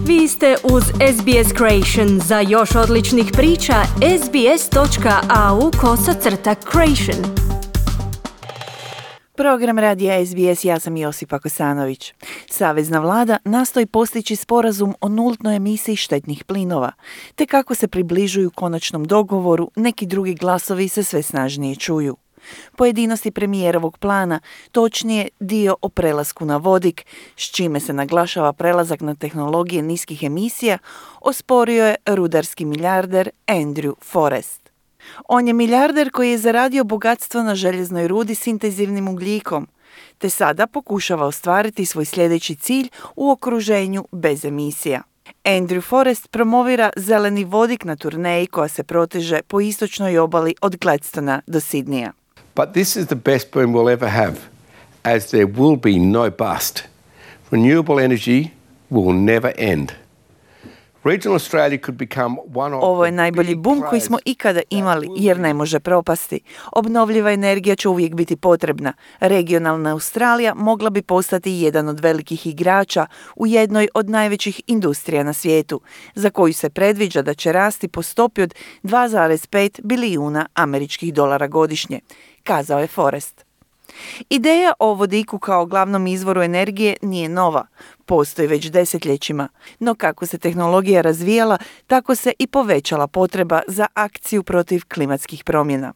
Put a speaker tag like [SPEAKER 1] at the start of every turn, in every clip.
[SPEAKER 1] Vi ste uz SBS Creation. Za još odličnih priča, sbs.au/creation.
[SPEAKER 2] Program radija SBS, ja sam Josipa Kosanović. Savezna vlada nastoji postići sporazum o nultnoj emisiji štetnih plinova, te kako se približuju konačnom dogovoru, neki drugi glasovi se sve snažnije čuju. Pojedinosti premijerovog plana, točnije dio o prelasku na vodik, s čime se naglašava prelazak na tehnologije niskih emisija, osporio je rudarski milijarder Andrew Forrest. On je milijarder koji je zaradio bogatstvo na željeznoj rudi s intenzivnim ugljikom, te sada pokušava ostvariti svoj sljedeći cilj u okruženju bez emisija. Andrew Forrest promovira zeleni vodik na turneji koja se proteže po istočnoj obali od Gladstona do Sidneya.
[SPEAKER 3] But this is the best boom we'll ever have, as there will be no bust. Renewable energy will never end. Regional Australia could become one of
[SPEAKER 2] Ovo je najbolji bum koji smo ikada imali, jer ne može propasti. Obnovljiva energija će uvijek biti potrebna. Regionalna Australija mogla bi postati jedan od velikih igrača u jednoj od najvećih industrija na svijetu, za koju se predviđa da će rasti po stopi od 2,5 bilijuna američkih dolara godišnje, kazao je Forrest. Ideja o vodiku kao glavnom izvoru energije nije nova, postoji već desetljećima, no kako se tehnologija razvijala, tako se i povećala potreba za akciju protiv klimatskih promjena.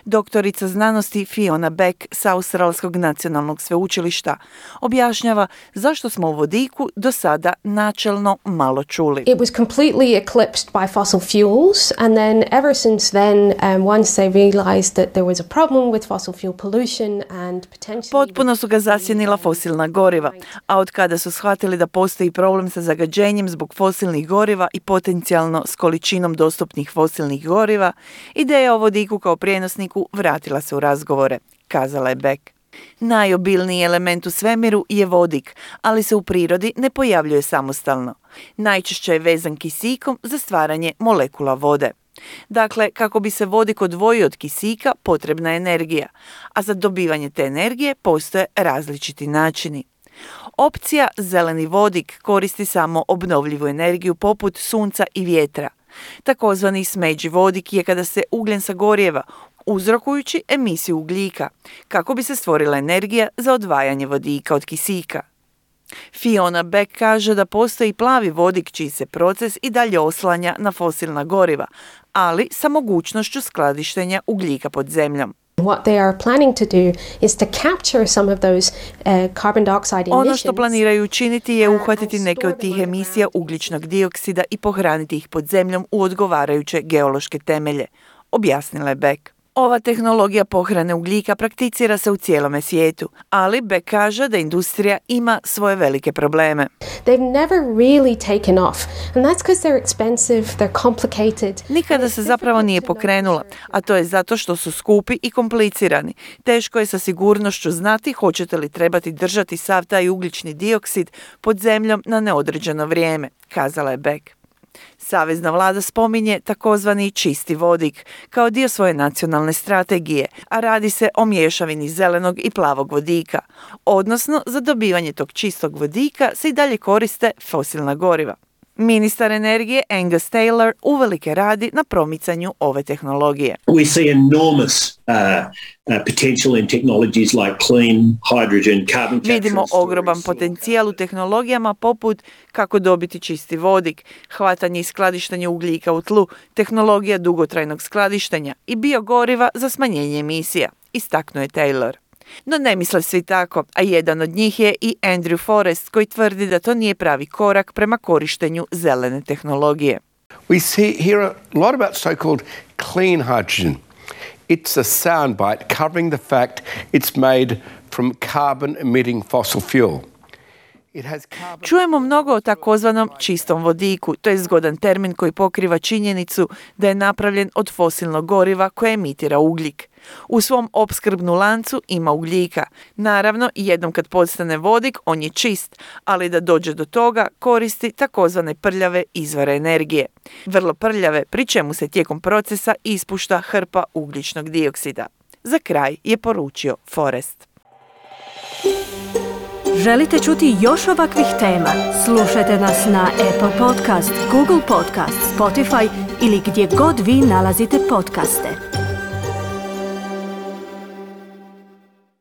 [SPEAKER 2] Doktorica znanosti Fiona Beck sa Australskog nacionalnog sveučilišta objašnjava zašto smo o vodiku do sada načelno malo čuli.
[SPEAKER 4] It was completely eclipsed by fossil fuels, and then ever since then, once they realized that there was a problem with fossil fuel pollution and potentially...
[SPEAKER 2] Potpuno su ga zasjenila fosilna goriva, a od kada su shvatili da postoji problem sa zagađenjem zbog fosilnih goriva i potencijalno s količinom dostupnih fosilnih goriva, ideja o vodiku kao prijenosniku vratila se u razgovore, kazala je Beck. Najobilniji element u svemiru je vodik, ali se u prirodi ne pojavljuje samostalno. Najčešće je vezan kisikom za stvaranje molekula vode. Dakle, kako bi se vodik odvojio od kisika, potrebna je energija, a za dobivanje te energije postoje različiti načini. Opcija zeleni vodik koristi samo obnovljivu energiju poput sunca i vjetra. Takozvani smeđi vodik je kada se ugljen sagorijeva, uzrokujući emisiju ugljika, kako bi se stvorila energija za odvajanje vodika od kisika. Fiona Beck kaže da postoji plavi vodik čiji se proces i dalje oslanja na fosilna goriva, ali sa mogućnošću skladištenja ugljika pod zemljom.
[SPEAKER 4] What they are planning to do is to capture some of those carbon dioxide emissions.
[SPEAKER 2] Ono što planiraju učiniti je uhvatiti neke od tih emisija ugljičnog dioksida i pohraniti ih pod zemljom u odgovarajuće geološke temelje, objasnila je Beck. Ova tehnologija pohrane ugljika prakticira se u cijelome svijetu, ali Beck kaže da industrija ima svoje velike probleme.
[SPEAKER 4] They've never really taken off, and that's because they're expensive, they're complicated.
[SPEAKER 2] Nikada se zapravo nije pokrenula, a to je zato što su skupi i komplicirani. Teško je sa sigurnošću znati hoćete li trebati držati sav taj ugljični dioksid pod zemljom na neodređeno vrijeme, kazala je Beck. Savezna vlada spominje takozvani čisti vodik kao dio svoje nacionalne strategije, a radi se o mješavini zelenog i plavog vodika. Odnosno, za dobivanje tog čistog vodika se i dalje koriste fosilna goriva. Ministar energije Angus Taylor uvelike radi na promicanju ove tehnologije.
[SPEAKER 5] We see enormous potential in technologies like clean hydrogen, carbon capture.
[SPEAKER 2] Vidimo ogroman potencijal u tehnologijama poput kako dobiti čisti vodik, hvatanje i skladištenje ugljika u tlu, tehnologija dugotrajnog skladištenja i biogoriva za smanjenje emisija, istaknuo je Taylor. No ne misle svi tako, a jedan od njih je i Andrew Forrest koji tvrdi da to nije pravi korak prema korištenju zelene tehnologije.
[SPEAKER 3] We hear a lot about so-called clean hydrogen. It's a soundbite covering the fact it's made from carbon-emitting fossil fuel.
[SPEAKER 2] Čujemo mnogo o takozvanom čistom vodiku, to je zgodan termin koji pokriva činjenicu da je napravljen od fosilnog goriva koje emitira ugljik. U svom opskrbnu lancu ima ugljika. Naravno, jednom kad postane vodik, on je čist, ali da dođe do toga koristi takozvane prljave izvore energije. Vrlo prljave, pri čemu se tijekom procesa ispušta hrpa ugljičnog dioksida. Za kraj je poručio Forrest.
[SPEAKER 1] Želite čuti još ovakvih tema? Slušajte nas na Apple Podcast, Google Podcast, Spotify ili gdje god vi nalazite podcaste.